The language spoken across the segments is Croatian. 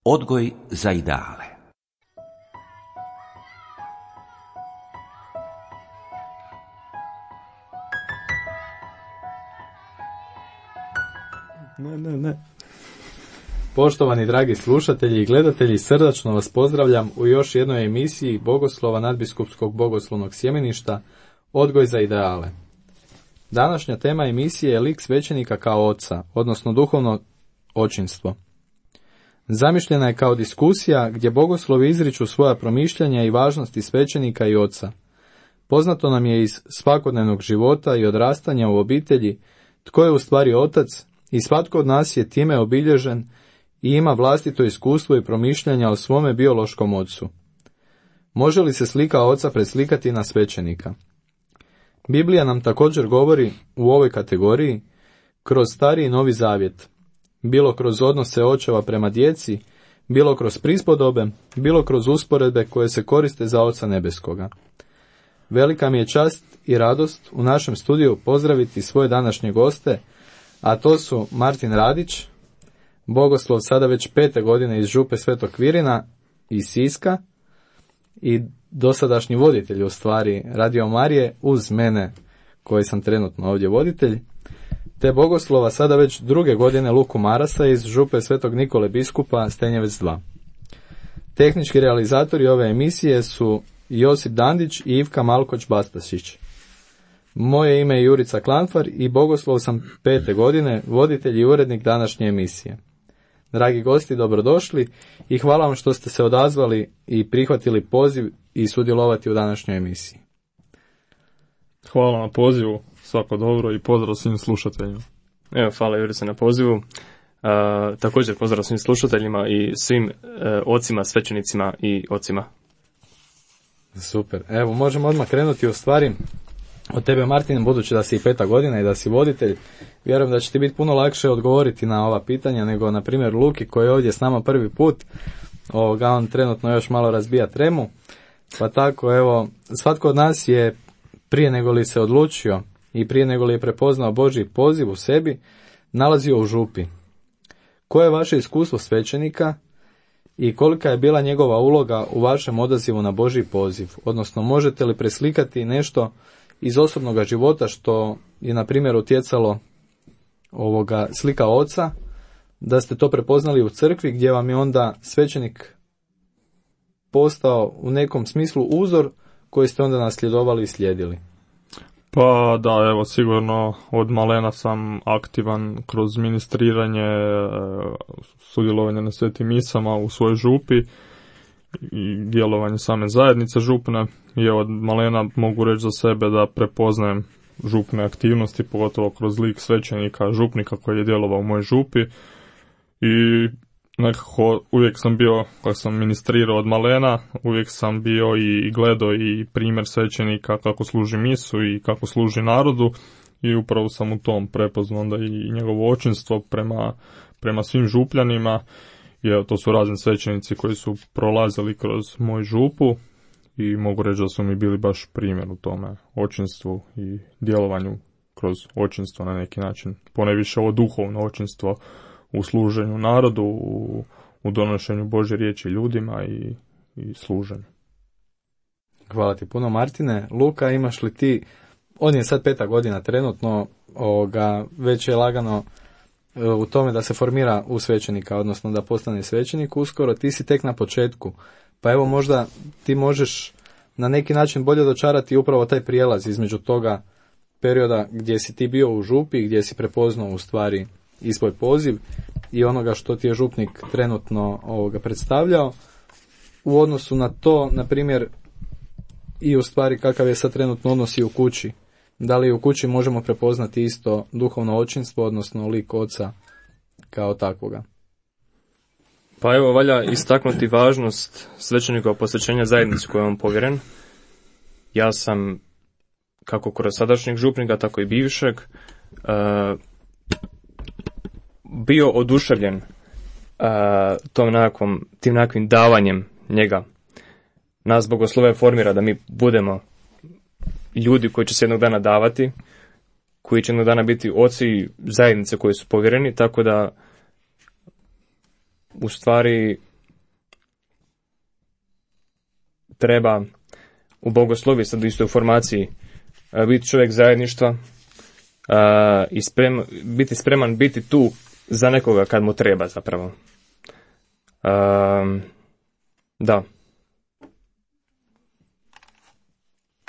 Odgoj za ideale. Ne. Poštovani dragi slušatelji i gledatelji, srdačno vas pozdravljam u još jednoj emisiji Bogoslova nadbiskupskog bogoslovnog sjemeništa Odgoj za ideale. Današnja tema emisije je lik svećenika kao oca, odnosno duhovno očinstvo. Zamišljena je kao diskusija gdje bogoslovi izriču svoja promišljanja i važnosti svećenika i oca. Poznato nam je iz svakodnevnog života i odrastanja u obitelji tko je u stvari otac i svatko od nas je time obilježen i ima vlastito iskustvo i promišljanja o svome biološkom ocu. Može li se slika oca preslikati na svećenika? Biblija nam također govori u ovoj kategoriji kroz Stari i Novi Zavjet, bilo kroz odnose očeva prema djeci, bilo kroz prispodobe, bilo kroz usporedbe koje se koriste za Oca nebeskoga. Velika mi je čast i radost u našem studiju pozdraviti svoje današnje goste, a to su Martin Radić, bogoslov sada već 5. godine iz Župe Svetog Kvirina iz Siska i dosadašnji voditelj u stvari Radio Marije uz mene koji sam trenutno ovdje voditelj, te bogoslova sada već 2. godine Luku Marasa iz Župe Svetog Nikole Biskupa Stenjevec 2. Tehnički realizatori ove emisije su Josip Dandić i Ivka Malkoć-Bastasić. Moje ime je Jurica Klanfar i bogoslov sam 5. godine, voditelj i urednik današnje emisije. Dragi gosti, dobrodošli i hvala vam što ste se odazvali i prihvatili poziv i sudjelovati u današnjoj emisiji. Hvala na pozivu, svako dobro i pozdrav svim slušateljima. Evo, hvala Jurice na pozivu. Također pozdrav svim slušateljima i svim ocima, svećenicima i ocima. Super. Evo, možemo odmah krenuti u stvari od tebe, Martin, budući da si i 5. godina i da si voditelj. Vjerujem da će ti biti puno lakše odgovoriti na ova pitanja nego, na primjer, Luki koji je ovdje s nama prvi put. On trenutno još malo razbija tremu. Pa tako, evo, svatko od nas je prije nego li se odlučio i prije nego li je prepoznao Božji poziv u sebi, nalazio u župi. Koje je vaše iskustvo svećenika i kolika je bila njegova uloga u vašem odazivu na Božji poziv? Odnosno, možete li preslikati nešto iz osobnog života što je, na primjer, utjecalo slika oca, da ste to prepoznali u crkvi gdje vam je onda svećenik postao u nekom smislu uzor koji ste onda nasljedovali i slijedili? Pa da, evo, sigurno od malena sam aktivan kroz ministriranje, sudjelovanje na svetim misama u svojoj župi i djelovanje same zajednice župne. I od malena mogu reći za sebe da prepoznajem župne aktivnosti, pogotovo kroz lik svećenika, župnika koji je djelovao u mojoj župi. I nekako uvijek sam bio, kako sam ministrirao od malena, uvijek sam bio i gledao i primjer svećenika kako služi misu i kako služi narodu i upravo sam u tom prepoznao onda i njegovo očinstvo prema svim župljanima. I evo, to su razni svećenici koji su prolazili kroz moju župu i mogu reći da su mi bili baš primjer u tome očinstvu i djelovanju kroz očinstvo na neki način. Ponajviše ovo duhovno očinstvo u služenju narodu, u donošenju Božje riječi ljudima i služenju. Hvala ti puno, Martine. Luka, imaš li ti, on je sad 5. godina trenutno, već je lagano u tome da se formira u svećenika, odnosno da postane svećenik uskoro, ti si tek na početku. Pa evo, možda ti možeš na neki način bolje dočarati upravo taj prijelaz između toga perioda gdje si ti bio u župi, gdje si prepoznao u stvari i svoj poziv i onoga što ti je župnik trenutno predstavljao u odnosu na to, na primjer, i u stvari kakav je sad trenutno odnos i u kući. Da li u kući možemo prepoznati isto duhovno očinstvo, odnosno lik oca kao takvoga? Pa evo, valja istaknuti važnost svećenikova posvećenja zajednici kojoj je on povjeren. Ja sam, kako kroz sadašnjeg župnika, tako i bivšeg, bio oduševljen tim nekakvim davanjem njega. Nas bogoslove formira da mi budemo ljudi koji će se jednog dana davati, koji će jednog dana biti oci zajednice koji su povjereni, tako da u stvari treba u bogoslovi, sad isto u formaciji, biti čovjek zajedništva i biti spreman biti tu za nekoga kad mu treba zapravo. Da.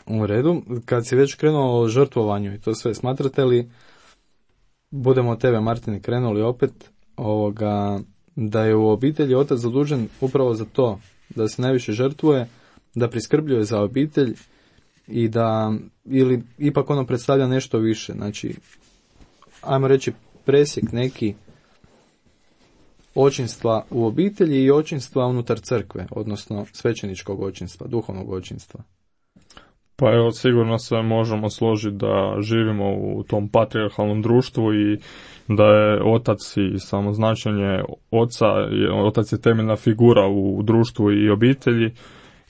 U redu, kad si već krenuo o žrtvovanju i to sve, smatrate li, budemo od tebe Martine krenuli opet, da je u obitelji otac zadužen upravo za to, da se najviše žrtvuje, da priskrbljuje za obitelj i da, ili ipak ono predstavlja nešto više, znači, ajmo reći presjek neki očinstva u obitelji i očinstva unutar crkve, odnosno svećeničkog očinstva, duhovnog očinstva. Pa evo, sigurno se možemo složiti da živimo u tom patrijarhalnom društvu i da je otac i samo značenje oca, otac je temeljna figura u društvu i obitelji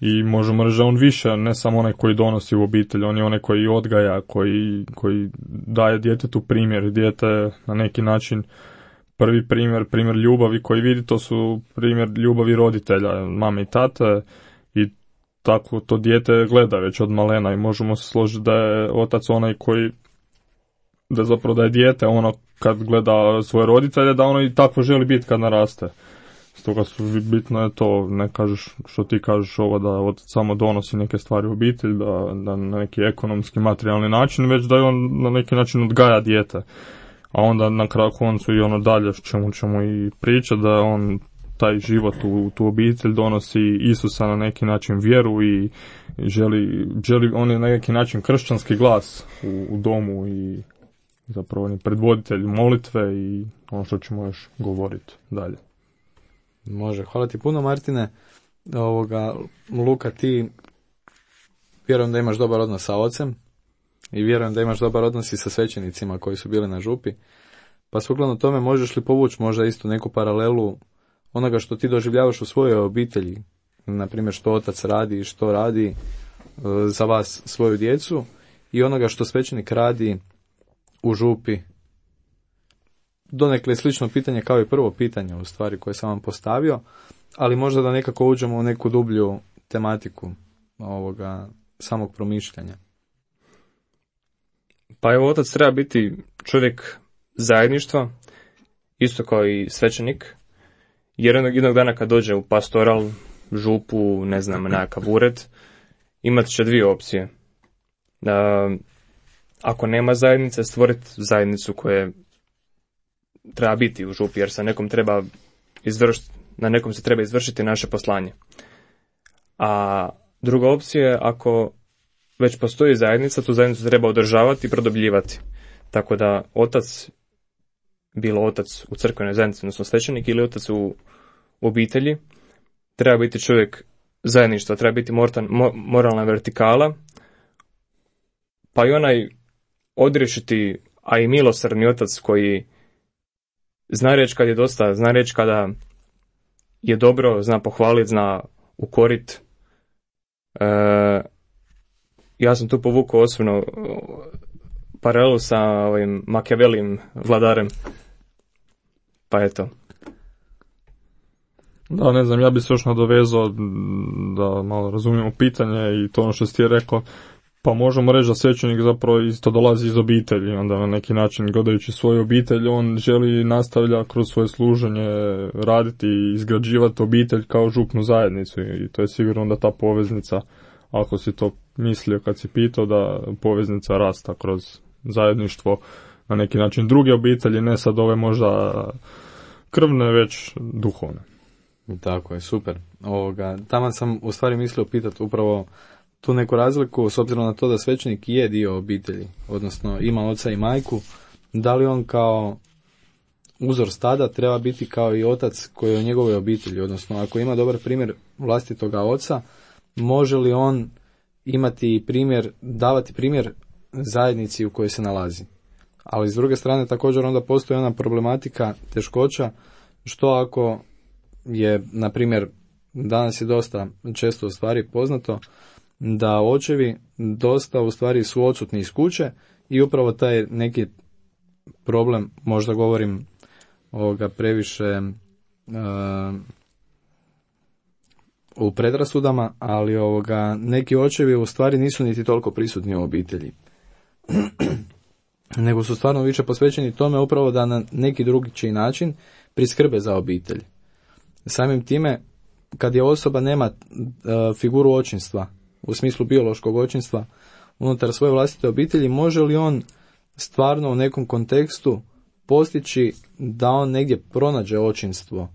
i možemo reći da on više, ne samo onaj koji donosi u obitelj, on je onaj koji odgaja, koji daje djetetu primjer, dijete na neki način prvi primjer ljubavi koji vidi, to su primjer ljubavi roditelja, mame i tate, i tako to dijete gleda već od malena i možemo se složiti da je otac onaj koji, da je dijete ono kad gleda svoje roditelje, da ono i tako želi biti kad naraste. Stoga bitno je to, ne kažeš što ti kažeš ovo da otac samo donosi neke stvari u obitelj, da na neki ekonomski, materijalni način, već da je on na neki način odgaja dijete. A onda na kraju koncu i ono dalje čemu ćemo i pričati, da on taj život u tu obitelj donosi Isusa na neki način vjeru i želi on je na neki način kršćanski glas u domu i zapravo on je predvoditelj molitve i ono što ćemo još govoriti dalje. Može, hvala ti puno Martine. Luka, ti vjerujem da imaš dobar odnos sa ocem i vjerujem da imaš dobar odnos i sa svećenicima koji su bili na župi. Pa sukladno tome možeš li povući možda isto neku paralelu onoga što ti doživljavaš u svojoj obitelji, na primjer što otac radi i što radi za vas, svoju djecu, i onoga što svećenik radi u župi. Donekle slično pitanje kao i prvo pitanje u stvari koje sam vam postavio, ali možda da nekako uđemo u neku dublju tematiku ovoga samog promišljanja. Pa evo, otac treba biti čovjek zajedništva, isto kao i svećenik, jer jednog dana kad dođe u pastoral, župu, ne znam, nekakav ured, imat će dvije opcije. Ako nema zajednice, stvoriti zajednicu koje treba biti u župi, jer se nekom treba na nekom se treba izvršiti naše poslanje. A druga opcija je, ako već postoji zajednica, tu zajednicu treba održavati i produbljivati. Tako da otac, bilo otac u crkvenoj zajednici, odnosno svećenik, ili otac u obitelji, treba biti čovjek zajedništva, treba biti moralna vertikala, pa i onaj odriješiti, a i milosrdni otac koji zna reći kad je dosta, zna reći kada je dobro, zna pohvaliti, zna ukorit. Ja sam tu povukao osobno paralelu sa ovim Machiavellijim vladarem. Pa eto. Da, ne znam, ja bi se još nadovezao da malo razumijemo pitanje i to ono što si ti rekao. Pa možemo reći da svećenik zapravo isto dolazi iz obitelji, onda na neki način gledajući svoju obitelj, on želi nastavlja kroz svoje služenje raditi i izgrađivati obitelj kao župnu zajednicu i to je sigurno da ta poveznica, ako si to mislio kad si pitao, da poveznica rasta kroz zajedništvo na neki način druge obitelji, ne sad ove možda krvne, već duhovne. Tako je, super. Taman sam u stvari mislio pitati upravo tu neku razliku, s obzirom na to da svećenik je dio obitelji, odnosno ima oca i majku, da li on kao uzor stada treba biti kao i otac koji je u njegovoj obitelji, odnosno ako ima dobar primjer vlastitoga oca, može li on imati primjer, davati primjer zajednici u kojoj se nalazi. Ali s druge strane također onda postoji ona problematika, teškoća, što ako je, na primjer, danas je dosta često u stvari poznato da očevi dosta u stvari su odsutni iz kuće i upravo taj neki problem, možda govorim previše u predrasudama, ali neki očevi u stvari nisu niti toliko prisutni u obitelji. Nego su stvarno više posvećeni tome upravo da na neki drugačiji način priskrbe za obitelj. Samim time, kad je osoba nema figuru očinstva, u smislu biološkog očinstva, unutar svoje vlastite obitelji, može li on stvarno u nekom kontekstu postići da on negdje pronađe očinstvo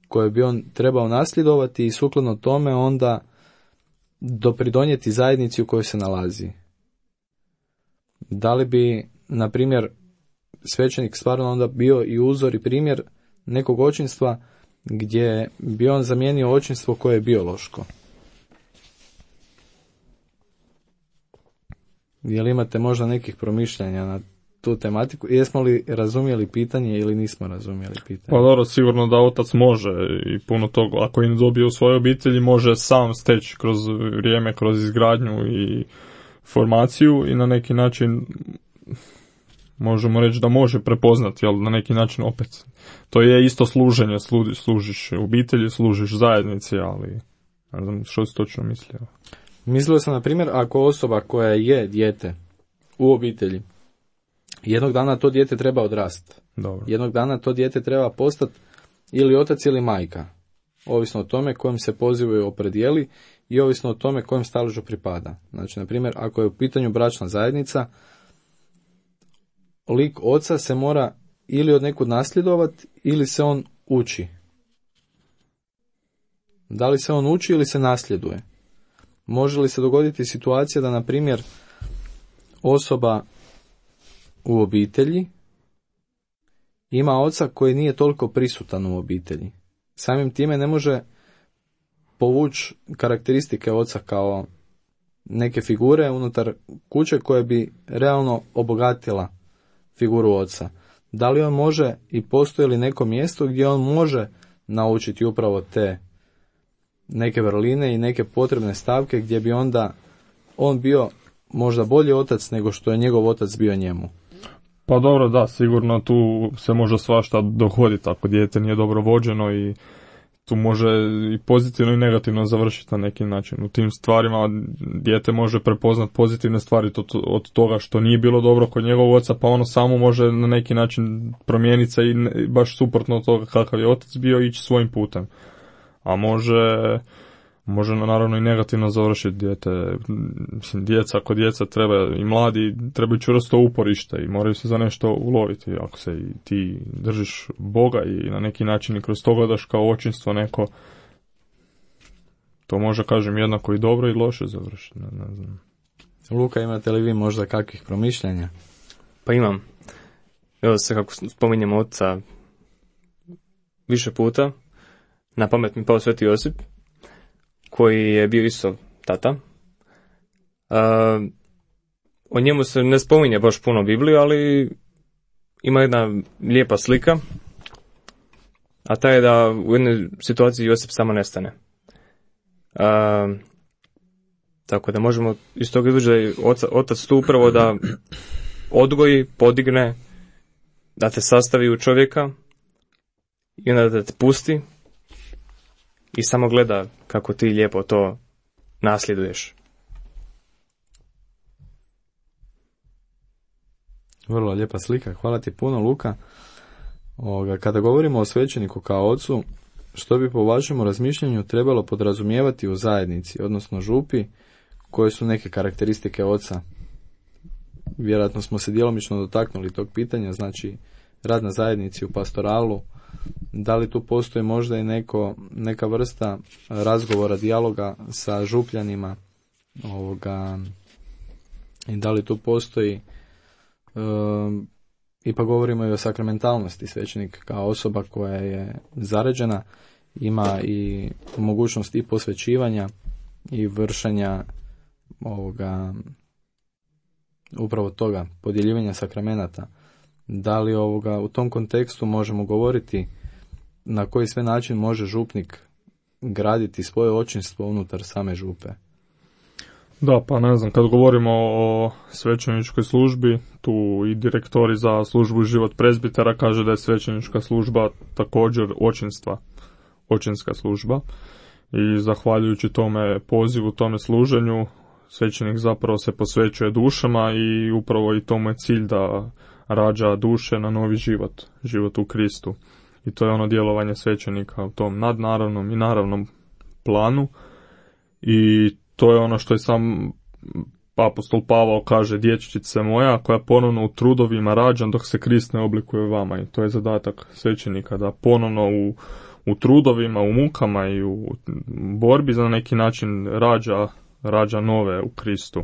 koje bi on trebao nasljedovati i sukladno tome onda dopridonijeti zajednici u kojoj se nalazi? Da li bi, na primjer, svećenik stvarno onda bio i uzor i primjer nekog očinstva gdje bi on zamijenio očinstvo koje je biološko? Je li imate možda nekih promišljanja na tu tematiku? Jesmo li razumjeli pitanje ili nismo razumjeli pitanje? Pa dobro, sigurno da otac može i puno toga, ako im dobije u svojoj obitelji, može sam steći kroz vrijeme, kroz izgradnju i formaciju i na neki način možemo reći da može prepoznati, ali na neki način opet to je isto služenje, služiš obitelji, služiš zajednici, ali ne znam što si točno mislio. Mislio sam, na primjer, ako osoba koja je dijete u obitelji, jednog dana to dijete treba odrasti. Dobro. Jednog dana to dijete treba postati ili otac ili majka, ovisno o tome kojem se pozivu opredijeli i ovisno o tome kojem staležu pripada. Znači, na primjer, ako je u pitanju bračna zajednica, lik oca se mora ili od nekud nasljedovati ili se on uči. Da li se on uči ili se nasljeduje? Može li se dogoditi situacija da, na primjer, osoba u obitelji ima oca koji nije toliko prisutan u obitelji? Samim time ne može povući karakteristike oca kao neke figure unutar kuće koje bi realno obogatila figuru oca. Da li on može i postoji li neko mjesto gdje on može naučiti upravo te neke vrline i neke potrebne stavke gdje bi onda on bio možda bolji otac nego što je njegov otac bio njemu? Pa dobro, da, sigurno tu se može svašta dogoditi ako dijete nije dobro vođeno i tu može i pozitivno i negativno završiti na neki način. U tim stvarima dijete može prepoznati pozitivne stvari od toga što nije bilo dobro kod njegovog oca, pa ono samo može na neki način promijeniti se i baš suprotno od toga kakav je otac bio, ići svojim putem. A može naravno i negativno završiti dijete. Mislim, kod djeca treba i mladi trebaju čvrsto uporište i moraju se za nešto uloviti. Ako se i ti držiš Boga i na neki način i kroz to gledaš kao očinstvo neko, to može, kažem, jednako i dobro i loše završiti. Ne znam. Luka, imate li vi možda kakvih promišljanja? Pa imam. Evo se, kako spominjemo oca više puta, na pamet mi pao Sveti Josip, koji je bio isto tata. O njemu se ne spominje baš puno u Bibliji, ali ima jedna lijepa slika, a ta je da u jednoj situaciji Josip samo nestane. Tako da možemo iz toga izvući da je otac tu upravo da odgoji, podigne, da te sastavi u čovjeka i onda da te pusti i samo gleda kako ti lijepo to nasljeduješ. Vrlo lijepa slika, hvala ti puno, Luka. Kada govorimo o svećeniku kao ocu, što bi po vašem razmišljanju trebalo podrazumijevati u zajednici, odnosno župi, koje su neke karakteristike oca? Vjerojatno smo se djelomično dotaknuli tog pitanja, znači rad na zajednici u pastoralu. Da li tu postoji možda i neka vrsta razgovora, dijaloga sa župljanima, i da li tu postoji, ipak govorimo i o sakramentalnosti, svećenik kao osoba koja je zaređena, ima i mogućnost i posvećivanja i vršenja upravo toga, podjeljivanja sakramenata. Da li u tom kontekstu možemo govoriti na koji sve način može župnik graditi svoje očinstvo unutar same župe? Da, pa ne znam, kad govorimo o svećeničkoj službi, tu i direktori za službu život prezbitera kaže da je svećenička služba također očinska služba. i zahvaljujući tome pozivu, tome služenju, svećenik zapravo se posvećuje dušama i upravo i tomu je cilj da rađa duše na novi život u Kristu. I to je ono djelovanje svećenika u tom nadnaravnom i naravnom planu. I to je ono što je sam apostol Pavao kaže, dječčice moja koja ponovno u trudovima rađam dok se Krist ne oblikuje vama. I to je zadatak svećenika, da ponovno u trudovima, u mukama i u borbi za neki način rađa nove u Kristu.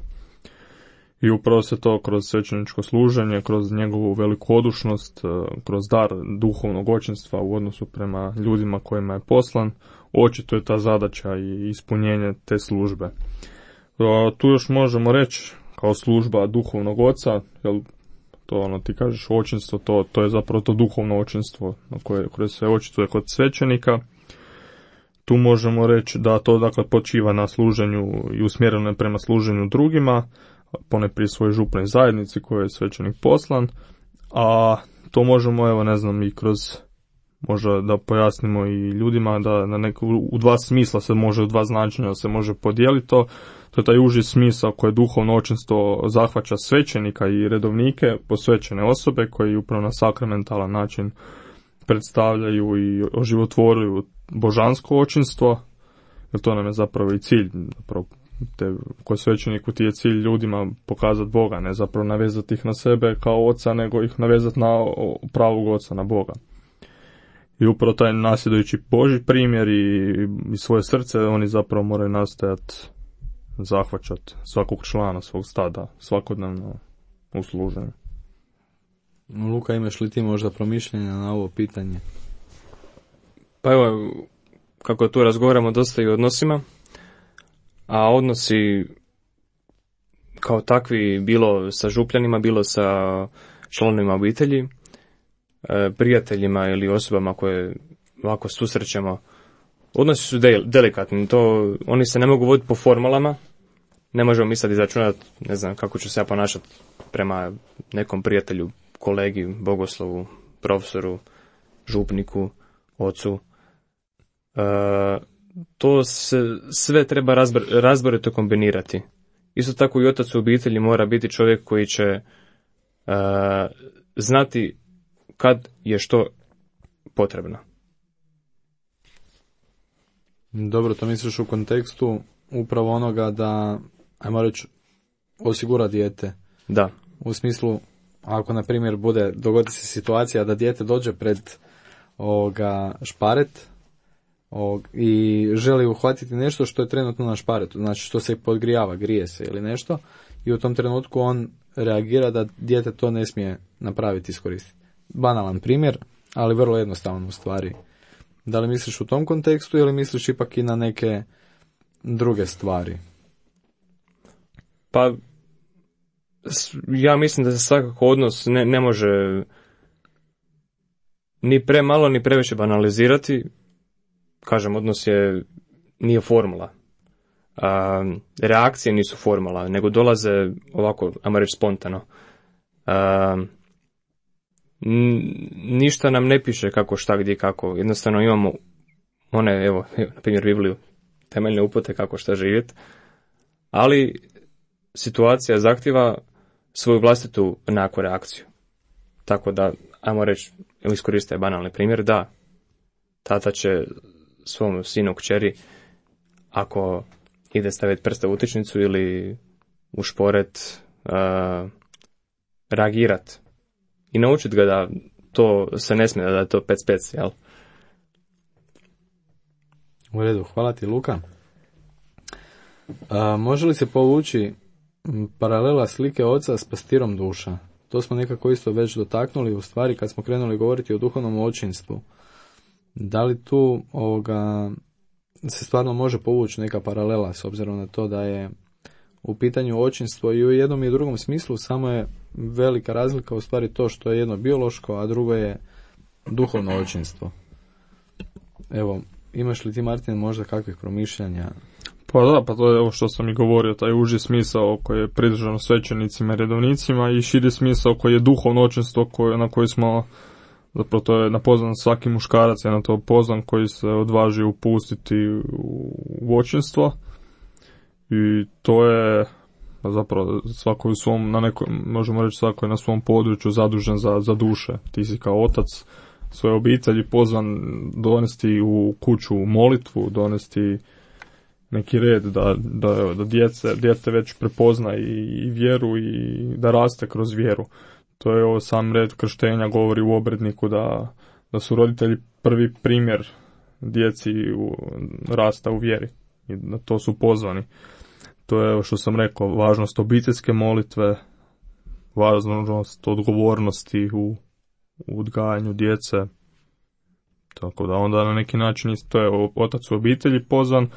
I upravo se to kroz svećeničko služenje, kroz njegovu velikodušnost, kroz dar duhovnog očinstva u odnosu prema ljudima kojima je poslan, očito je ta zadaća i ispunjenje te službe. Tu još možemo reći kao služba duhovnog oca, jer to ono ti kažeš očinstvo, to je zapravo to duhovno očinstvo koje se očituje kod svećenika. Tu možemo reći da to dakle počiva na služenju i usmjereno je prema služenju drugima, ponajprije svojoj župnoj zajednici koje je svećenik poslan, a to možemo i kroz, možda da pojasnimo i ljudima da u dva smisla se može, u dva značenja se može podijeliti to. To je taj uži smisao koje duhovno očinstvo zahvaća svećenika i redovnike, posvećene osobe koji upravo na sakramentalan način predstavljaju i oživotvoruju božansko očinstvo, jer to nam je zapravo i cilj, zapravo kod svećeniku ti je cilj ljudima pokazati Boga, ne zapravo navezati ih na sebe kao oca, nego ih navezati na pravog oca, na Boga. I upravo taj nasljedujući Božji primjer i svoje srce, oni zapravo moraju nastojati zahvaćati svakog člana svog stada svakodnevno u služenju. Luka, imaš li ti možda promišljenja na ovo pitanje? Pa evo, kako tu razgovaramo dosta i o odnosima, a odnosi kao takvi bilo sa župljanima, bilo sa članovima obitelji, prijateljima ili osobama koje ovako susrećemo, odnosi su delikatni, oni se ne mogu voditi po formalama, ne možemo mi sad izračunati, ne znam kako ću se ja ponašati prema nekom prijatelju, kolegi, bogoslovu, profesoru, župniku, ocu. To se sve treba razborito kombinirati. Isto tako i otac u obitelji mora biti čovjek koji će znati kad je što potrebno. Dobro, to misliš u kontekstu upravo onoga da, ajmo reći, osigura dijete. Da. U smislu, ako na primjer dogodi se situacija da dijete dođe pred šparet i želi uhvatiti nešto što je trenutno na šparetu, znači što se podgrijava, grije se ili nešto, i u tom trenutku on reagira da dijete to ne smije napraviti, iskoristiti. Banalan primjer, ali vrlo jednostavan u stvari. Da li misliš u tom kontekstu ili misliš ipak i na neke druge stvari? Pa, ja mislim da se svakako odnos ne može ni premalo ni previše banalizirati. Kažem, odnos nije formula. Reakcije nisu formula, nego dolaze ovako, ajmo reći, spontano. Ništa nam ne piše kako, šta, gdje, kako. Jednostavno imamo one, evo, na primjer Bibliju, temeljne upute kako šta živjeti, ali situacija zahtjeva svoju vlastitu neku reakciju. Tako da, ajmo reći, evo iskoriste banalni primjer, da, tata će svom sinu, kćeri, ako ide staviti prste u utičnicu ili u šporet, reagirat i naučiti ga da to se ne smije, da je to pec, jel? U redu, hvala ti, Luka. Može li se povući paralela slike oca s pastirom duša? To smo nekako isto već dotaknuli u stvari kad smo krenuli govoriti o duhovnom očinstvu. Da li tu se stvarno može povući neka paralela s obzirom na to da je u pitanju očinstvo i u jednom i u drugom smislu, samo je velika razlika u stvari to što je jedno biološko, a drugo je duhovno očinstvo. Evo, imaš li ti, Martin, možda kakvih promišljanja? Pa da, pa to je ovo što sam i govorio, taj uži smisao koji je pridržano svećenicima i redovnicima i širi smisao koji je duhovno očinstvo na koji smo zapravo to je napoznan svaki muškarac, je na to pozvan koji se odvaži upustiti u očinstvo i to je zapravo svako u svom, možemo reći svako je na svom području zadužen za duše. Ti si kao otac svoje obitelji pozvan donesti u kuću molitvu, donesti neki red da dijete već prepozna i vjeru i da raste kroz vjeru. To je ovo sam red krštenja, govori u obredniku da su roditelji prvi primjer djeci rasta u vjeri i na to su pozvani. To je, što sam rekao, važnost obiteljske molitve, važnost odgovornosti u odgajanju djece. Tako da onda na neki način to je otac u obitelji pozvan,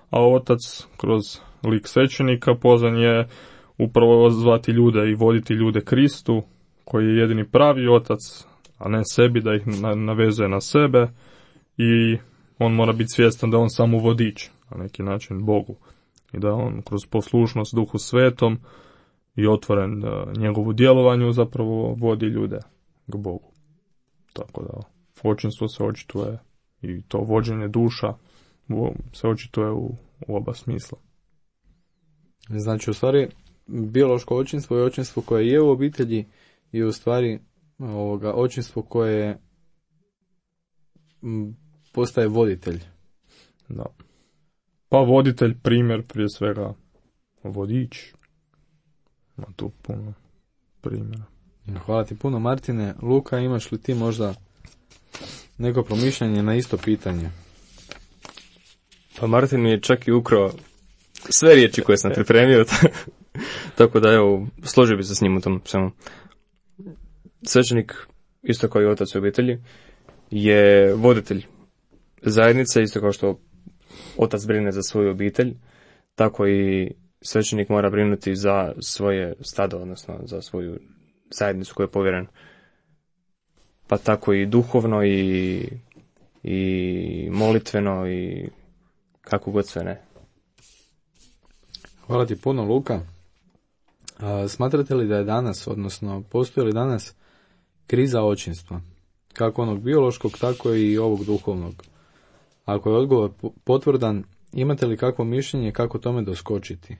a otac kroz lik svećenika pozvan je upravo zvati ljude i voditi ljude Kristu, koji je jedini pravi otac, a ne sebi, da ih navezuje na sebe i on mora biti svjestan da on samo vodič, na neki način Bogu. I da on kroz poslušnost Duhu Svetom i otvoren njegovu djelovanju zapravo vodi ljude k Bogu. Tako da očinstvo se očituje i to vođenje duša se očituje u oba smisla. Znači, u stvari, biološko očinstvo je očinstvo koje je u obitelji i u stvari očinstvo koje postaje voditelj. Da. Pa voditelj, primjer, prije svega vodič. Ima tu puno primjera. Hvala ti puno, Martine. Luka, imaš li ti možda neko promišljanje na isto pitanje? Pa Martin mi je čak i ukrao sve riječi koje sam pripremio, tako da evo, složio bi se s njim u tom svemu. Svećenik, isto kao i otac u obitelji, je voditelj zajednice, isto kao što otac brine za svoju obitelj, tako i svećenik mora brinuti za svoje stado, odnosno za svoju zajednicu koju je povjeren. Pa tako i duhovno i molitveno i kako god sve ne. Hvala ti puno, Luka. Smatrate li da je danas, odnosno postoji li danas kriza očinstva? Kako onog biološkog, tako i ovog duhovnog. Ako je odgovor potvrdan, imate li kakvo mišljenje kako tome doskočiti?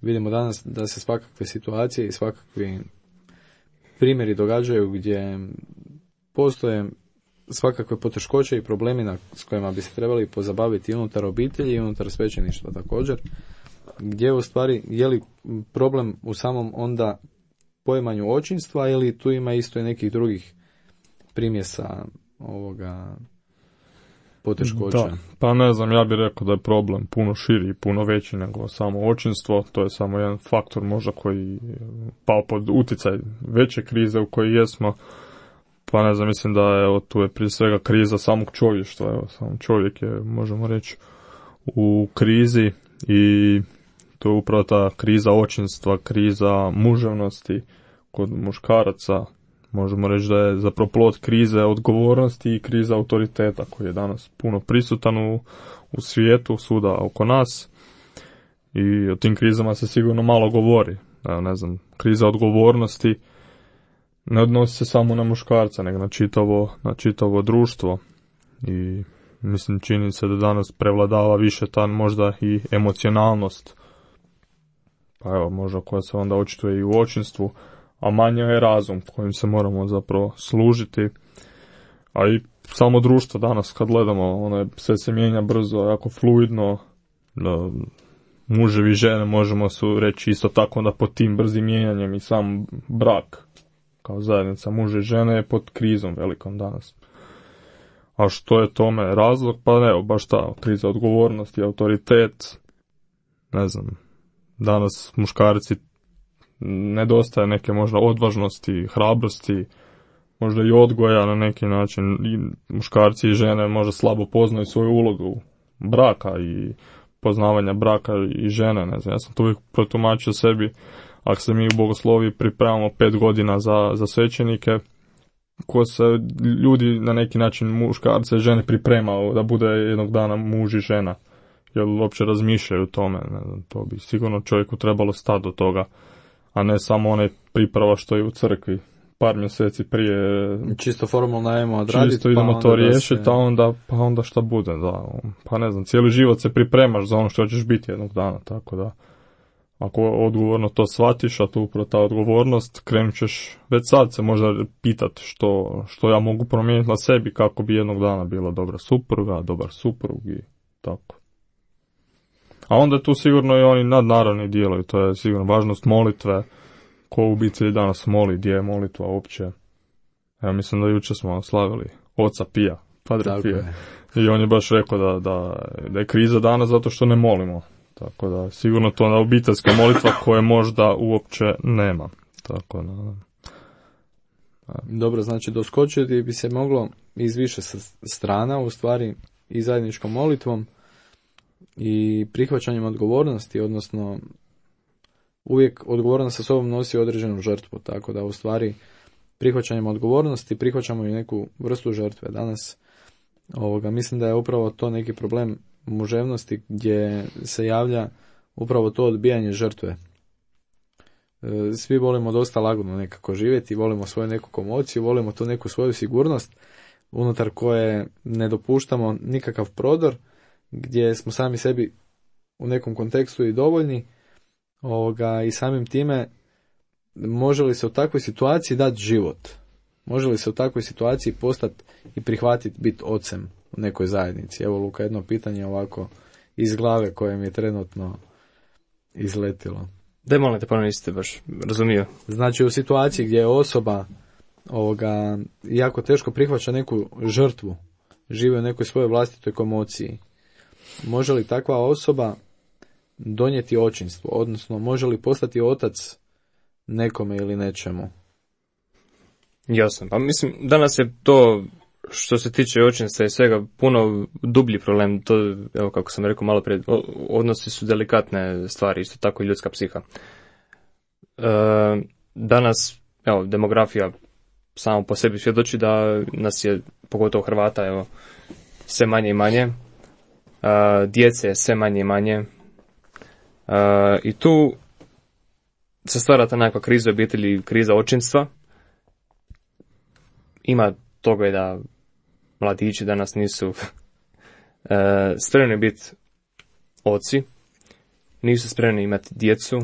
Vidimo danas da se svakakve situacije i svakakvi primjeri događaju gdje postoje svakakve poteškoće i problemi s kojima bi se trebali pozabaviti unutar obitelji i unutar svećeništva također, gdje u stvari je li problem u samom onda poimanju očinstva ili tu ima isto i nekih drugih primjesa ovoga poteškoća? Da, pa ne znam, ja bih rekao da je problem puno širi i puno veći nego samo očinstvo. To je samo jedan faktor možda koji pao pod utjecaj veće krize u kojoj jesmo. Pa ne znam, mislim da evo, tu je prije svega kriza samog čovještva. Evo, sam čovjek je, možemo reći, u krizi i to je upravo ta kriza očinstva, kriza muževnosti kod muškaraca. Možemo reći da je zapravo plod krize odgovornosti i kriza autoriteta koji je danas puno prisutan u svijetu, svuda oko nas. I o tim krizama se sigurno malo govori. Evo, ne znam, kriza odgovornosti ne odnosi se samo na muškarca, nego na čitavo društvo. I mislim, čini se da danas prevladava više ta možda i emocionalnost. Pa evo, možda koja se onda očituje i u očinstvu, a manje je razum kojim se moramo zapravo služiti. A i samo društvo danas kad gledamo, sve se mijenja brzo, jako fluidno, muževi i žene možemo su reći isto tako da pod tim brzim mijenjanjem i sam brak kao zajednica muže i žene je pod krizom velikom danas. A što je tome razlog? Pa evo, baš ta kriza odgovornosti, autoritet, ne znam, danas muškarci nedostaje neke možda odvažnosti, hrabrosti, možda i odgoja na neki način. I muškarci i žene možda slabo poznaju svoju ulogu braka i poznavanja braka i žene. Ne znam, ja sam to uvijek protumačio sebi. Ako se mi u bogosloviji pripremamo 5 godina za svećenike, ko se ljudi na neki način muškarce i žene pripremao da bude jednog dana muž i žena. Jer uopće razmišljaju o tome. Ne znam, to bi sigurno čovjeku trebalo stati do toga, a ne samo onaj priprava što je u crkvi par mjeseci prije čisto formalno ajmo odraditi, čisto idemo to riješiti, pa onda šta bude, da. Pa ne znam, cijeli život se pripremaš za ono što ćeš biti jednog dana, tako da ako odgovorno to shvatiš, a to upravo ta odgovornost, krenut ćeš već sad se možda pitati što ja mogu promijeniti na sebi kako bi jednog dana bila dobra supruga, dobar suprug i tako. A onda je tu sigurno i oni nadnaravni dijelovi, to je sigurno važnost molitve, ko u obitelji danas moli, gdje je molitva uopće. Ja mislim da jučer smo slavili oca Pija, Padre Pija. I on je baš rekao da je kriza danas zato što ne molimo. Tako da sigurno to je obiteljska molitva koje možda uopće nema. Tako da. Dobro, znači doskočiti bi se moglo iz više strana, u stvari i zajedničkom molitvom i prihvaćanjem odgovornosti, odnosno uvijek odgovornost sa sobom nosi određenu žrtvu, tako da u stvari prihvaćanjem odgovornosti prihvaćamo i neku vrstu žrtve. Danas mislim da je upravo to neki problem muževnosti gdje se javlja upravo to odbijanje žrtve. Svi volimo dosta lagano nekako živjeti, volimo svoju neku komociju, volimo tu neku svoju sigurnost unutar koje ne dopuštamo nikakav prodor, gdje smo sami sebi u nekom kontekstu i dovoljni i samim time može li se u takvoj situaciji dati život? Može li se u takvoj situaciji postati i prihvatiti biti ocem u nekoj zajednici? Evo Luka, jedno pitanje ovako iz glave koje mi je trenutno izletilo. Daj molim te, ponovno niste baš razumio. Znači u situaciji gdje je osoba jako teško prihvaća neku žrtvu, živi u nekoj svojoj vlastitoj komociji, može li takva osoba donijeti očinstvo, odnosno može li postati otac nekome ili nečemu? Jasno, pa mislim danas je to što se tiče očinstva i svega puno dublji problem, to evo kako sam rekao malo prije, odnosi su delikatne stvari, isto tako i ljudska psiha. Danas, evo, demografija samo po sebi svjedoči da nas je, pogotovo Hrvata, evo, sve manje i manje, djece je sve manje i manje, i tu se stvara ta nekakva kriza obitelji, kriza očinstva. Ima toga je da mladići danas nisu spremni biti oci, nisu spremni imati djecu,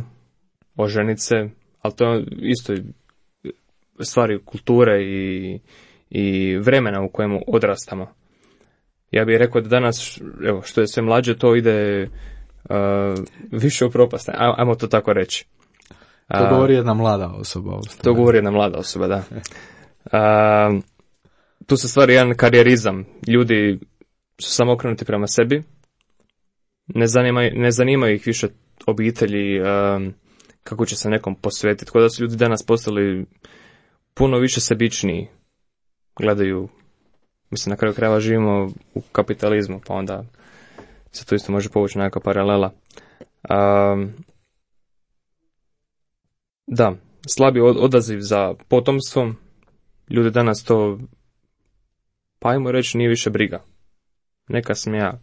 oženiti se, ali to je isto stvari kulture i vremena u kojemu odrastamo. Ja bih rekao da danas, evo, što je sve mlađe, to ide više u propast, ajmo to tako reći. To govori jedna mlada osoba. To govori jedna mlada osoba, da. Tu se stvari jedan karijerizam. Ljudi su samo okrenuti prema sebi. Ne zanimaju ih više obitelji, kako će se nekom posvetiti. Tako da su ljudi danas postali puno više sebičniji. Gledaju, mislim, na kraju krajeva živimo u kapitalizmu, pa onda se tu isto može povući nekakva paralela. Da, slabi odaziv za potomstvom. Ljudi danas to, pa ajmo reći, nije više briga. Neka sam ja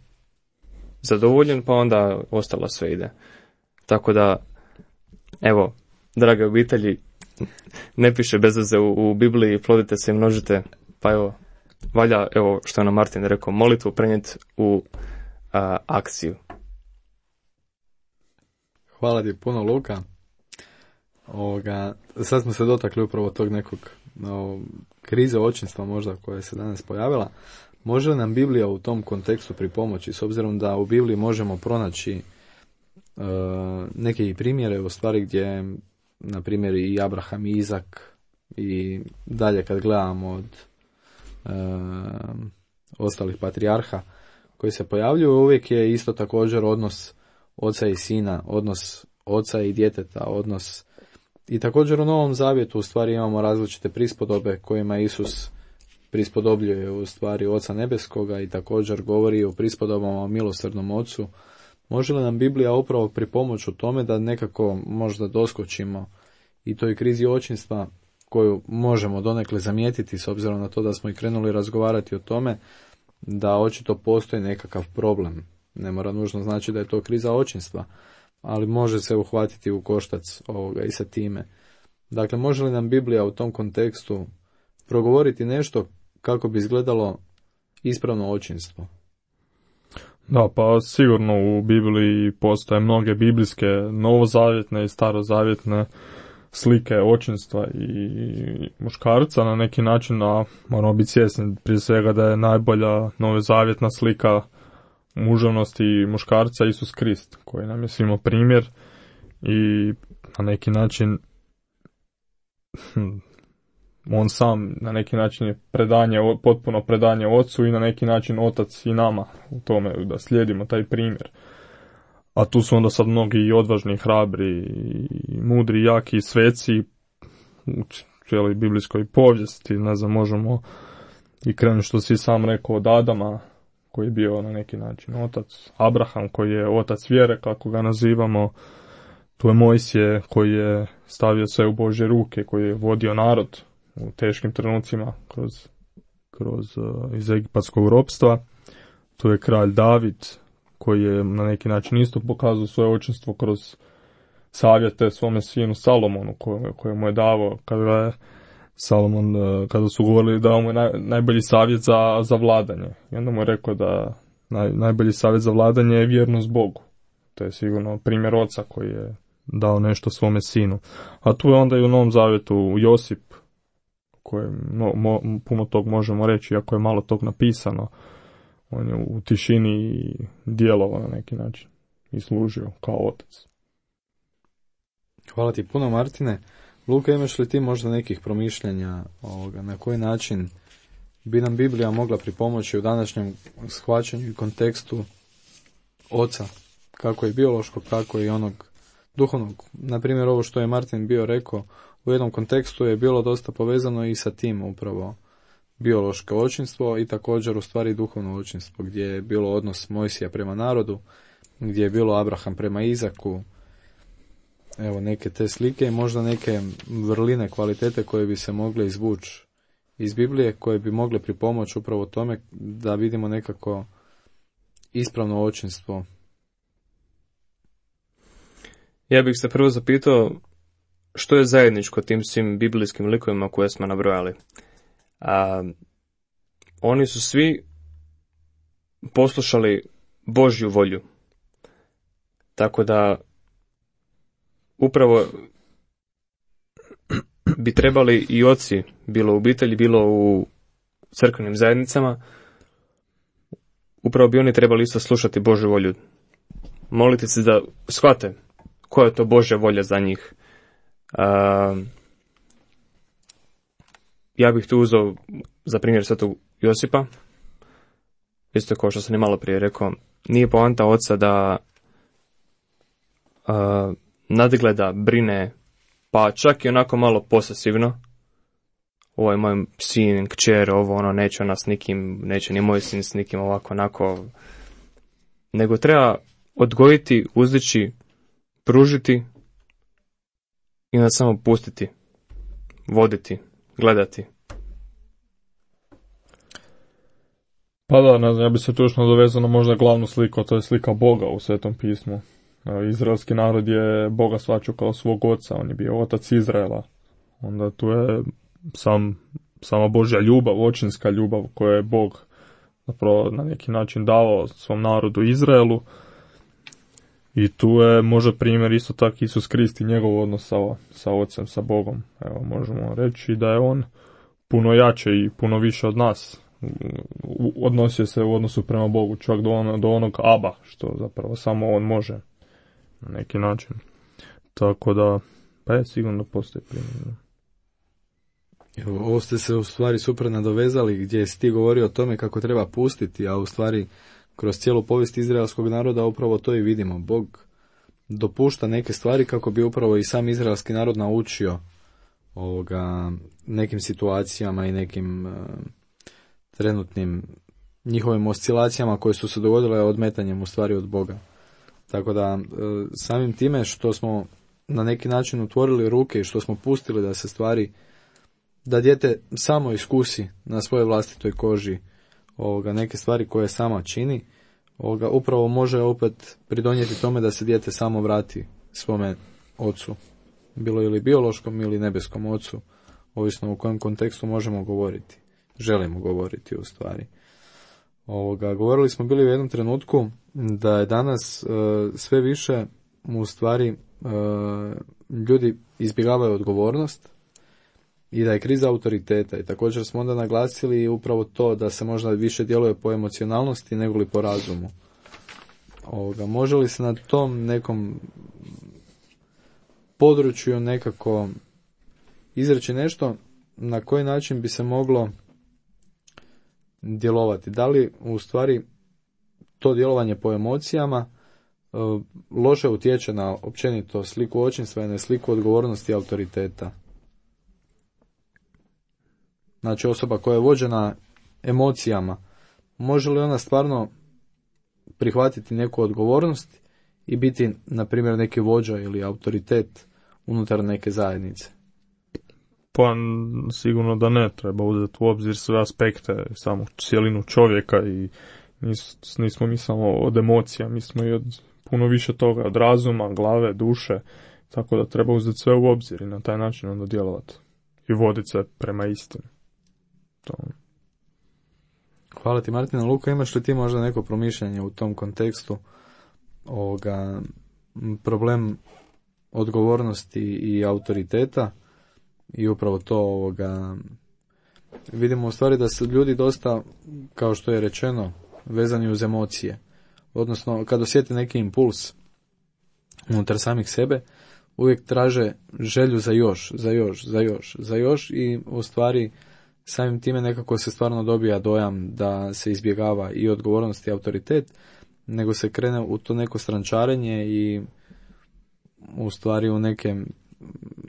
zadovoljen, pa onda ostalo sve ide. Tako da, evo, drage obitelji, ne piše bez veze u Bibliji, plodite se i množite, pa evo, valja, evo što je nam Martin rekao, molitvu prenijeti u akciju. Hvala ti puno, Luka. Sad smo se dotakli upravo tog nekog krize očinstva možda koja se danas pojavila. Može li nam Biblija u tom kontekstu pripomoći, s obzirom da u Bibliji možemo pronaći neke primjere u stvari gdje, na primjer, i Abraham i Izak i dalje kad gledamo od ostalih patrijarha koji se pojavljuju, uvijek je isto također odnos oca i sina, odnos oca i djeteta, odnos. I također u Novom Zavjetu u stvari imamo različite prispodobe kojima Isus prispodobljuje u stvari Oca Nebeskoga i također govori o prispodobama o milosrdnom Ocu. Može li nam Biblija upravo pripomoći u tome da nekako možda doskočimo i toj krizi očinstva koju možemo donekle zamijetiti s obzirom na to da smo i krenuli razgovarati o tome da očito postoji nekakav problem. Ne mora nužno znači da je to kriza očinstva, ali može se uhvatiti u koštac ovoga i sa time. Dakle, može li nam Biblija u tom kontekstu progovoriti nešto kako bi izgledalo ispravno očinstvo? Da, pa sigurno u Bibliji postoje mnoge biblijske novozavjetne i starozavjetne slike očinstva i muškarca na neki način, a moramo biti svjesni prije svega da je najbolja novozavjetna slika muževnosti muškarca Isus Krist, koji nam je svima primjer i na neki način on sam na neki način je potpuno predanje ocu i na neki način otac i nama u tome da slijedimo taj primjer. A tu su onda sad mnogi i odvažni, i hrabri, i mudri, jaki, i sveci u cijeloj biblijskoj povijesti. Ne znam, možemo i krenuti što si sam rekao od Adama, koji je bio na neki način otac, Abraham koji je otac vjere, kako ga nazivamo, tu je Mojsije koji je stavio sve u Božje ruke, koji je vodio narod u teškim trenucima kroz iz egipatskog ropstva. Tu je kralj David koji je na neki način isto pokazao svoje očinstvo kroz savjete svome sinu Salomonu koje mu je davao kada je Salomon, kada su govorili dao mu je najbolji savjet za vladanje. I onda mu je rekao da najbolji savjet za vladanje je vjernost Bogu. To je sigurno primjer oca koji je dao nešto svome sinu. A tu je onda i u Novom Zavjetu Josip, koje puno tog možemo reći, iako je malo tog napisano. On je u tišini djelovao na neki način i služio kao otac. Hvala ti puno, Martine. Luka, imaš li ti možda nekih promišljanja na koji način bi nam Biblija mogla pripomoći u današnjem shvaćanju i kontekstu oca, kako i biološkog, tako i onog duhovnog? Na primjer, ovo što je Martin bio rekao, u jednom kontekstu je bilo dosta povezano i sa tim upravo biološko očinstvo i također u stvari duhovno očinstvo, gdje je bilo odnos Mojsija prema narodu, gdje je bilo Abraham prema Izaku. Evo neke te slike i možda neke vrline, kvalitete koje bi se mogle izvući iz Biblije, koje bi mogle pripomoći upravo tome da vidimo nekako ispravno očinstvo. Ja bih se prvo zapitao što je zajedničko tim svim biblijskim likovima koje smo nabrojali. Oni su svi poslušali Božju volju. Tako da upravo bi trebali i oci, bilo u obitelji, bilo u crkvenim zajednicama, upravo bi oni trebali isto slušati Božju volju. Moliti se da shvate koja je to Božja volja za njih. Ja bih tu uzeo za primjer svetog Josipa, isto kao što sam i malo prije rekao, nije poanta oca da nadgleda, brine, pa čak i onako malo posesivno. Ovo je moj sin, kćer, ovo ono, neće ona s nikim, neće ni moj sin s nikim, ovako, onako. Nego treba odgojiti, uzdići, pružiti i onda samo pustiti, voditi, gledati. Pa da, ne znam, ja bi se točno dovezao na možda glavnu sliku, to je slika Boga u Svetom pismu. Izraelski narod je Boga shvaćao kao svog oca, on je bio otac Izraela. Onda tu je sama Božja ljubav, očinska ljubav koju je Bog zapravo na neki način davao svom narodu Izraelu. I tu je možda primjer isto tako Isus Krist i njegov odnos sa ocem, sa Bogom. Evo, možemo reći da je on puno jače i puno više od nas. Odnosio se u odnosu prema Bogu, čak do onog Aba, što zapravo samo on može na neki način. Tako da, pa je sigurno postoji primjer. Ovo ste se u stvari super nadovezali, gdje si ti govorio o tome kako treba pustiti, a u stvari kroz cijelu povijest izraelskog naroda upravo to i vidimo. Bog dopušta neke stvari kako bi upravo i sam izraelski narod naučio nekim situacijama i nekim trenutnim njihovim oscilacijama koje su se dogodile odmetanjem u stvari od Boga. Tako da samim time što smo na neki način otvorili ruke i što smo pustili da se stvari, da dijete samo iskusi na svojoj vlastitoj koži neke stvari koje sama čini, upravo može opet pridonijeti tome da se dijete samo vrati svome ocu bilo ili biološkom ili nebeskom ocu, ovisno u kojem kontekstu možemo govoriti, želimo govoriti u stvari. Govorili smo bili u jednom trenutku da je danas sve više u stvari ljudi izbjegavaju odgovornost i da je kriza autoriteta, i također smo onda naglasili upravo to da se možda više djeluje po emocionalnosti nego li po razumu. Može li se na tom nekom području nekako izreći nešto na koji način bi se moglo djelovati? Da li u stvari to djelovanje po emocijama loše utječe na općenito sliku očinstva i na sliku odgovornosti i autoriteta? Znači, osoba koja je vođena emocijama, može li ona stvarno prihvatiti neku odgovornost i biti, na primjer, neki vođa ili autoritet unutar neke zajednice? Pa sigurno da ne, treba uzeti u obzir sve aspekte, samu cijelinu čovjeka, i nismo mi samo od emocija, mi smo i od puno više toga, od razuma, glave, duše, tako da treba uzeti sve u obzir i na taj način onda djelovati i voditi se prema istini. To. Hvala ti, Martina. Luka, imaš li ti možda neko promišljanje u tom kontekstu problem odgovornosti i autoriteta? I upravo to vidimo u stvari da su ljudi dosta, kao što je rečeno, vezani uz emocije. Odnosno, kad osjete neki impuls unutar samih sebe, uvijek traže želju za još i u stvari samim time nekako se stvarno dobija dojam da se izbjegava i odgovornost i autoritet, nego se krene u to neko strančarenje i u stvari u neke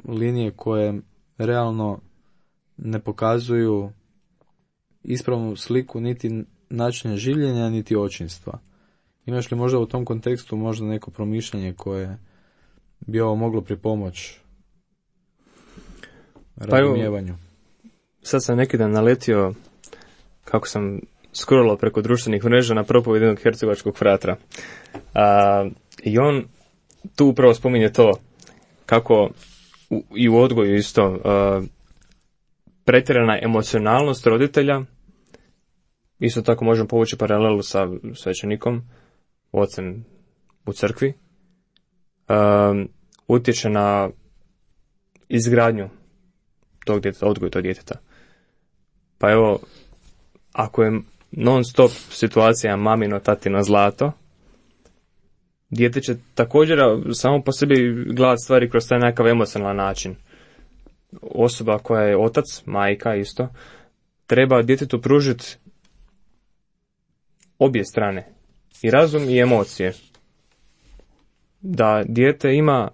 linije koje realno ne pokazuju ispravnu sliku niti načina življenja, niti očinstva. Imaš li možda u tom kontekstu možda neko promišljanje koje bi ovo moglo pripomoći razumijevanju? Sad sam neki dan naletio, kako sam scrollao preko društvenih mreža, na propovijed jednog hercegovačkog fratra. I on tu upravo spominje to, kako i u odgoju isto pretjerana emocionalnost roditelja, isto tako možemo povući paralelu sa svećenikom, ocem u crkvi, utječe na izgradnju tog djeteta, odgoj tog djeteta. Pa evo, ako je non stop situacija mamino, tatino zlato, dijete će također samo po sebi gledati stvari kroz taj nekakav emocionalan način. Osoba koja je otac, majka isto, treba djetetu pružiti obje strane, i razum i emocije. Da dijete ima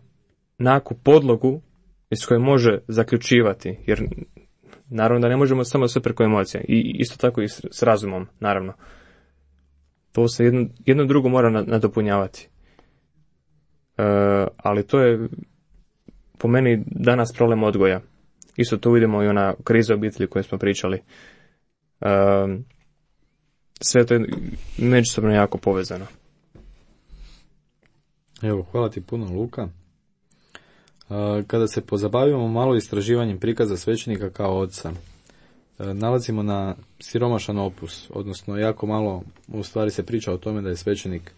nekakvu podlogu iz koje može zaključivati, jer naravno da ne možemo samo sve preko emocija, i isto tako i s razumom, naravno. To se jedno drugo mora nadopunjavati. Ali to je po meni danas problem odgoja. Isto tu vidimo i ona kriza obitelji koju smo pričali. Sve to je međusobno jako povezano. Evo, hvala ti puno, Luka. Kada se pozabavimo malo istraživanjem prikaza svećenika kao oca, nalazimo na siromašan opus, odnosno jako malo u stvari se priča o tome da je svećenik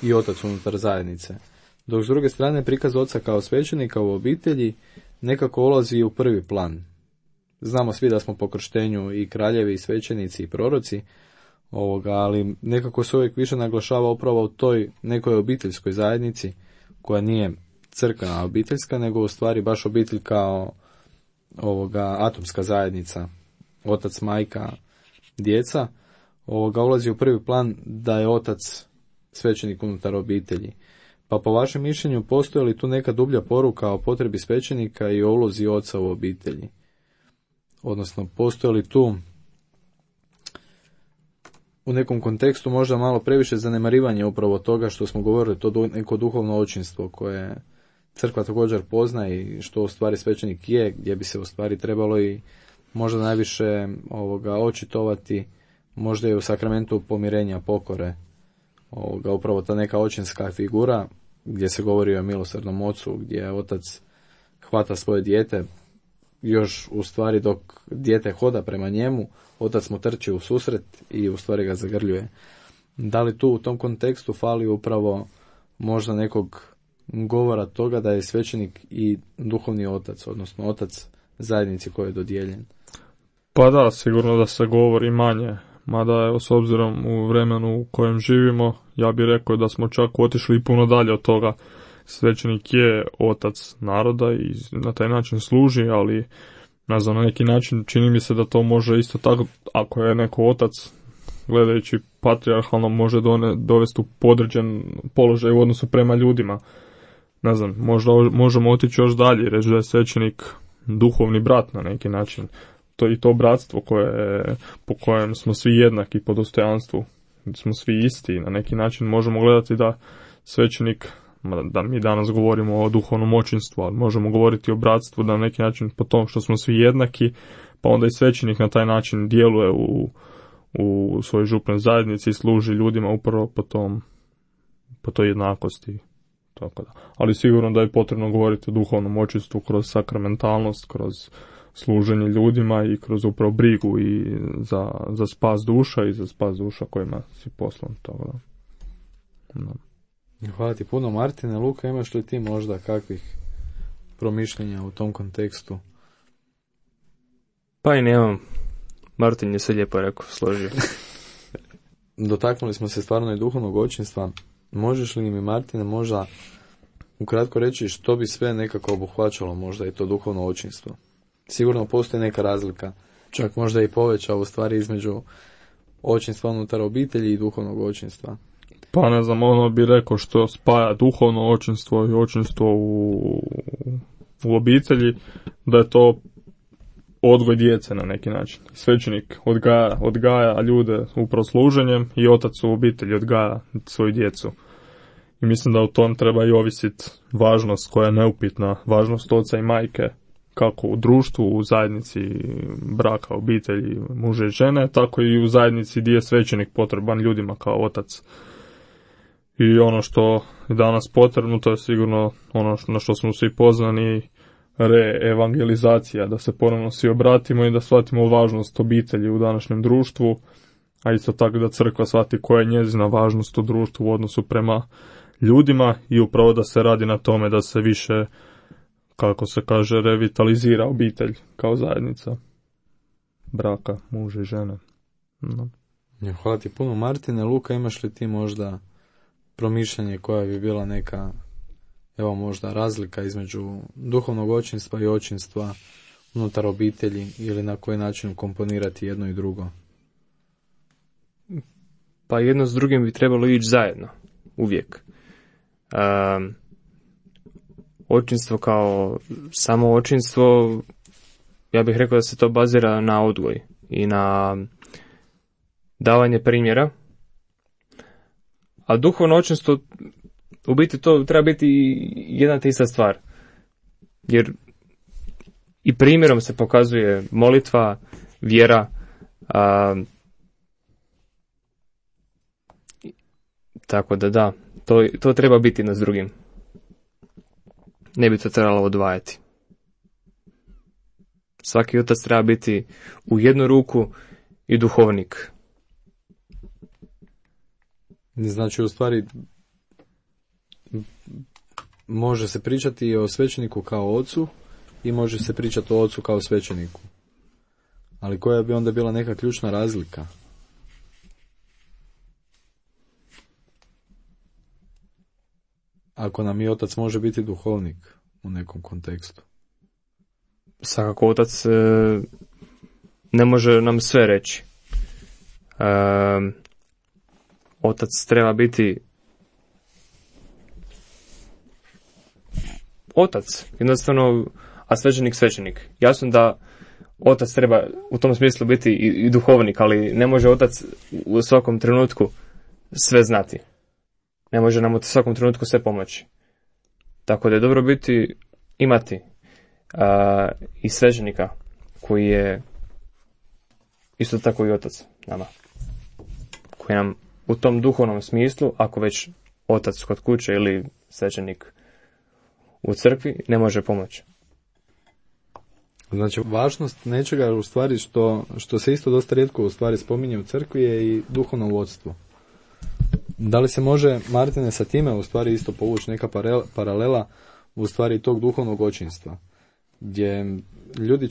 i otac unutar zajednice. Dok s druge strane prikaz oca kao svećenika u obitelji nekako ulazi u prvi plan. Znamo svi da smo po krštenju i kraljevi, i svećenici, i proroci, ali nekako se uvijek više naglašava upravo u toj nekoj obiteljskoj zajednici, koja nije crkvena obiteljska, nego u stvari baš obitelj kao atomska zajednica, otac, majka, djeca, ulazi u prvi plan da je otac svećenik unutar obitelji. Pa po vašem mišljenju, postoji li tu neka dublja poruka o potrebi svećenika i o ulozi oca u obitelji? Odnosno, postoji li tu u nekom kontekstu možda malo previše zanemarivanje upravo toga što smo govorili, to neko duhovno očinstvo koje crkva također pozna i što u stvari svećenik je, gdje bi se u stvari trebalo i možda najviše očitovati, možda i u sakramentu pomirenja, pokore, upravo ta neka očinska figura gdje se govori o milosrdnom ocu, gdje otac hvata svoje dijete, još u stvari dok dijete hoda prema njemu, otac mu trči u susret i u stvari ga zagrljuje. Da li tu u tom kontekstu fali upravo možda nekog govora toga da je svećenik i duhovni otac, odnosno otac zajednici koji je dodijeljen? Pa da, sigurno da se govori manje, mada evo, s obzirom u vremenu u kojem živimo, ja bih rekao da smo čak otišli puno dalje od toga. Svećenik je otac naroda i na taj način služi, ali ne znam, na neki način čini mi se da to može isto tako, ako je neko otac, gledajući patrijarhalno, može dovesti u podređen položaj u odnosu prema ljudima. Ne znam, možda možemo otići još dalje i reći da je svećenik duhovni brat na neki način. To bratstvo po kojem smo svi jednaki po dostojanstvu, smo svi isti, na neki način možemo gledati da svećenik, da mi danas govorimo o duhovnom očinstvu, ali možemo govoriti o bratstvu da na neki način po tom što smo svi jednaki, pa onda i svećenik na taj način djeluje u svojoj župnoj zajednici i služi ljudima upravo po toj jednakosti. Tako da. Ali sigurno da je potrebno govoriti o duhovnom očinstvu kroz sakramentalnost, kroz služenje ljudima i kroz upravo brigu i za spas duša i za spas duša kojima si poslan. Tako da. No. Hvala ti puno, Martine. Luka, imaš li ti možda kakvih promišljenja u tom kontekstu? Pa i nemam. Martin je sve lijepo rekao, složio. Dotaknuli smo se stvarno i duhovnog očinstva. Možeš li mi, Martine, možda ukratko reći što bi sve nekako obuhvaćalo možda i to duhovno očinstvo? Sigurno postoji neka razlika, čak možda i poveća u stvari između očinstva unutar obitelji i duhovnog očinstva. Pa ne znam, ono bi rekao što spaja duhovno očinstvo i očinstvo u obitelji, da je to odgoj djece na neki način. Svećenik odgaja ljude upravo služenjem i otac u obitelji odgaja svoju djecu. I mislim da u tom treba i ovisiti važnost koja je neupitna, važnost oca i majke, kako u društvu, u zajednici braka, obitelji, muže i žene, tako i u zajednici gdje je svećenik potreban ljudima kao otac. I ono što je danas potrebno, to je sigurno ono na što smo svi pozvani, reevangelizacija, da se ponovno svi obratimo i da shvatimo važnost obitelji u današnjem društvu, a isto tako da crkva shvati koja je njezina važnost u društvu u odnosu prema ljudima i upravo da se radi na tome da se više, kako se kaže, revitalizira obitelj kao zajednica braka, muža i žene. No. Hvala ti puno, Martine. Luka, imaš li ti možda promišljanje koja bi bila neka, evo možda razlika između duhovnog očinstva i očinstva unutar obitelji ili na koji način komponirati jedno i drugo? Pa jedno s drugim bi trebalo ići zajedno, uvijek. Očinstvo kao samo očinstvo, ja bih rekao da se to bazira na odgoj i na davanje primjera, a duhovno očinstvo u biti to treba biti jedna te ista stvar. Jer i primjerom se pokazuje molitva, vjera, tako da, to treba biti jedno s drugim. Ne bi to trebalo odvajati. Svaki otac treba biti u jednu ruku i duhovnik. Znači, u stvari, može se pričati o svećeniku kao ocu i može se pričati o ocu kao svećeniku. Ali koja bi onda bila neka ključna razlika? Ako nam i otac može biti duhovnik u nekom kontekstu. Svakako otac ne može nam sve reći. Otac treba biti otac, jednostavno, a svećenik. Jasno da otac treba u tom smislu biti i duhovnik, ali ne može otac u svakom trenutku sve znati. Ne može nam u svakom trenutku sve pomoći. Tako da je dobro imati i svećenika koji je isto tako i otac nama. Koji nam u tom duhovnom smislu, ako već otac kod kuće ili svećenik u crkvi, ne može pomoći. Znači, važnost nečega u stvari što se isto dosta rijetko u stvari spominje u crkvi je i duhovno vodstvo. Da li se može, Martine, sa time u stvari isto povući neka paralela u stvari tog duhovnog očinstva, gdje ljudi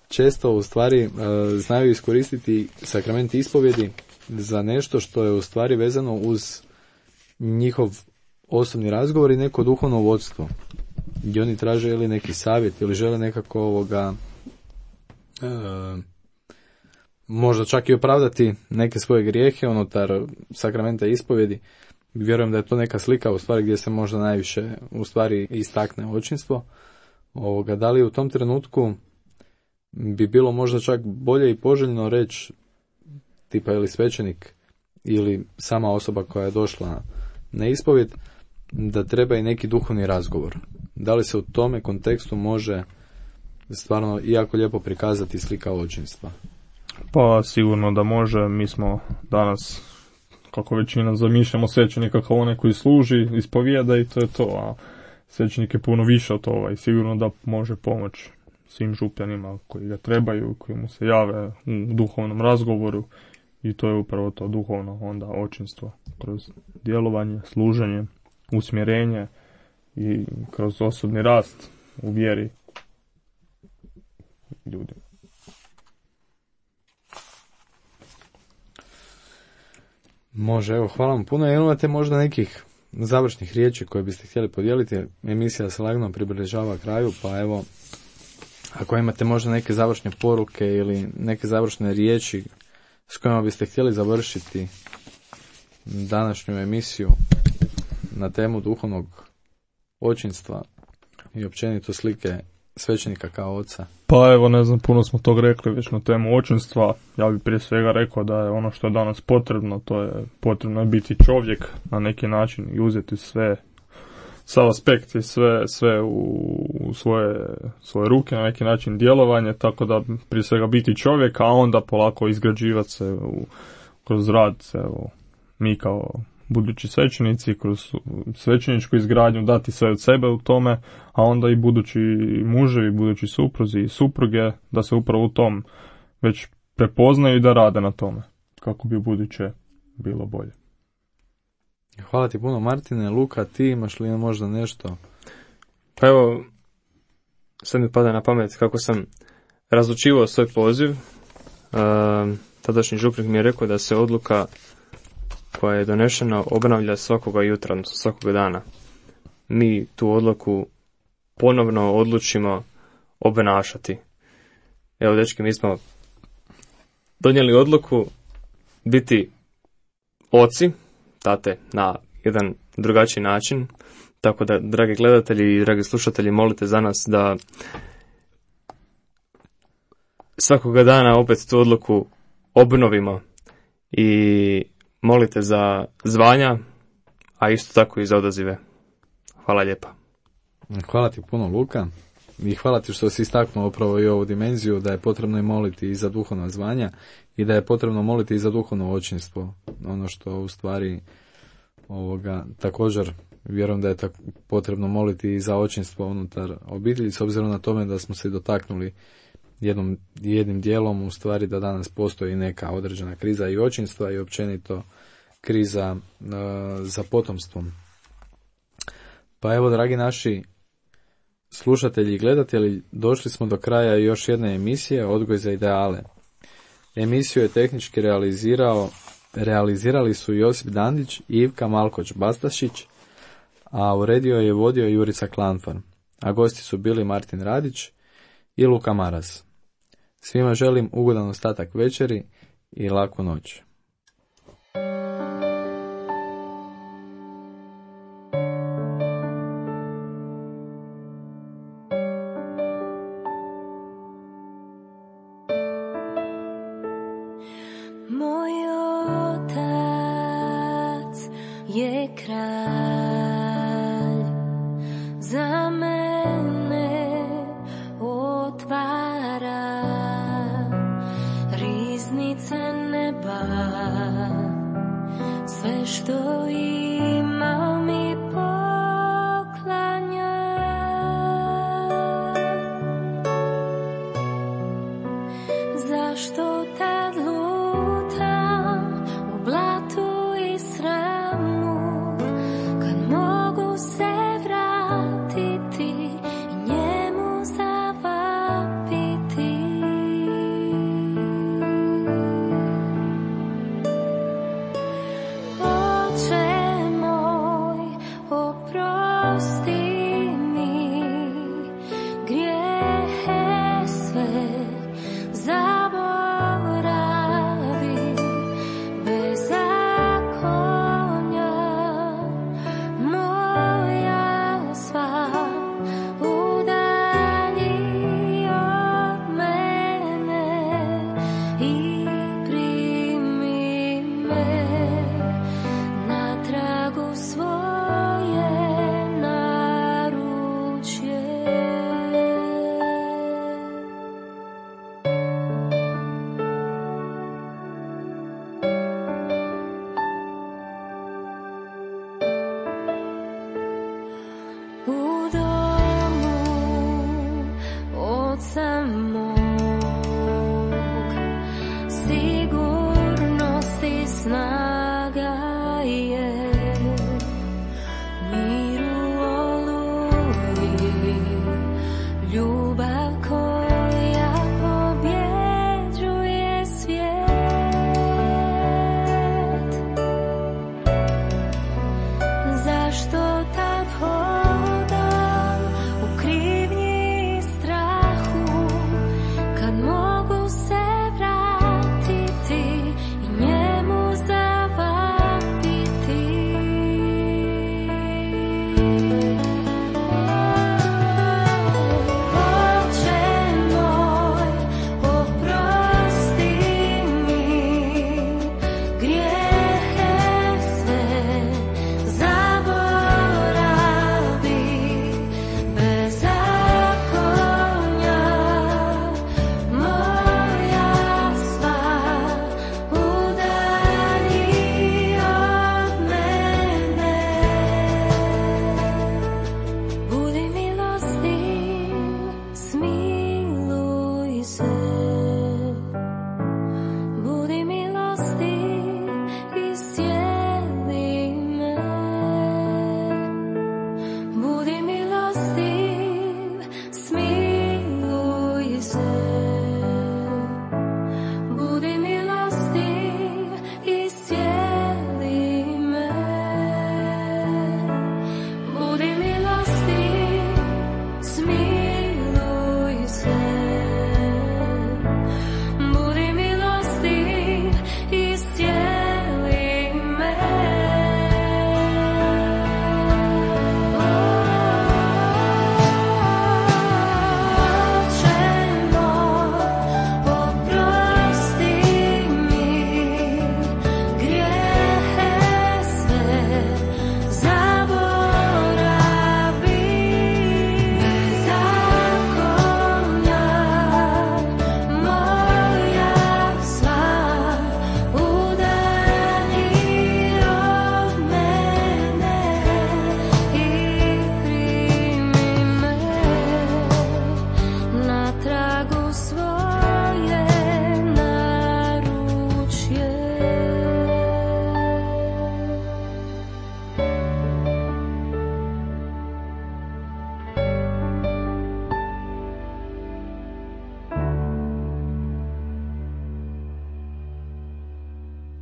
često u stvari znaju iskoristiti sakrament ispovjedi za nešto što je u stvari vezano uz njihov osobni razgovor i neko duhovno vodstvo, gdje oni traže ili neki savjet ili žele nekako možda čak i opravdati neke svoje grijehe unutar sakramenta ispovjedi. Vjerujem da je to neka slika u stvari gdje se možda najviše u stvari istakne očinstvo. Da li u tom trenutku bi bilo možda čak bolje i poželjno reći, tipa ili svećenik ili sama osoba koja je došla na ispovjed, da treba i neki duhovni razgovor. Da li se u tome kontekstu može stvarno jako lijepo prikazati slika očinstva? Pa sigurno da može. Mi smo danas, kako većina zamišljamo, svećenika kao onaj koji služi, ispovijeda i to je to, a svećenik je puno više od toga i sigurno da može pomoći svim župljanima koji ga trebaju, koji mu se jave u duhovnom razgovoru, i to je upravo to duhovno onda očinstvo kroz djelovanje, služenje, usmjerenje i kroz osobni rast u vjeri ljudi. Može, evo, hvala vam puno. Imate možda nekih završnih riječi koje biste htjeli podijeliti? Emisija se lagano približava kraju, pa evo, ako imate možda neke završne poruke ili neke završne riječi s kojima biste htjeli završiti današnju emisiju na temu duhovnog očinstva i općenito slike svećenika kao oca. Pa evo, ne znam, puno smo tog rekli već na temu očinstva. Ja bih prije svega rekao da je ono što je danas potrebno, to je potrebno je biti čovjek na neki način i uzeti sav aspekt i sve u svoje ruke, na neki način djelovanje, tako da prije svega biti čovjek, a onda polako izgrađivati se kroz rad, evo, mi kao budući svećenici, kroz svećeničku izgradnju dati sve od sebe u tome, a onda i budući muževi, budući supruzi i supruge, da se upravo u tom već prepoznaju i da rade na tome, kako bi u buduće bilo bolje. Hvala ti puno, Martine. Luka, ti imaš li možda nešto? Pa evo, sad mi pada na pamet kako sam razlučivao svoj poziv. Tadašnji župnik mi je rekao da se odluka koja je donešena obnavlja svakoga jutra, odnosno svakoga dana. Mi tu odluku ponovno odlučimo obnašati. Evo, dečki, mi smo donijeli odluku biti oci, tate, na jedan drugačiji način, tako da, dragi gledatelji i dragi slušatelji, molite za nas da svakoga dana opet tu odluku obnovimo i molite za zvanja, a isto tako i za odazive. Hvala lijepa. Hvala ti puno, Luka, i hvala ti što si istaknuo upravo i ovu dimenziju da je potrebno i moliti i za duhovna zvanja i da je potrebno moliti i za duhovno očinstvo. Ono što u stvari također vjerujem da je potrebno moliti i za očinstvo unutar obitelji, s obzirom na tome da smo se dotaknuli jednim dijelom u stvari da danas postoji neka određena kriza i očinstva i općenito kriza za potomstvom. Pa evo, dragi naši slušatelji i gledatelji, došli smo do kraja još jedne emisije Odgoj za ideale. Emisiju je tehnički realizirali su Josip Dandić i Ivka Malkoć-Bastašić, a uredio je vodio Jurica Klanfar, a gosti su bili Martin Radić i Luka Maras. Svima želim ugodan ostatak večeri i laku noć. Moj otac je kralj, za mene otvara riznice neba, sve što ima mi poklanja.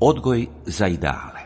Odgoj za ideale.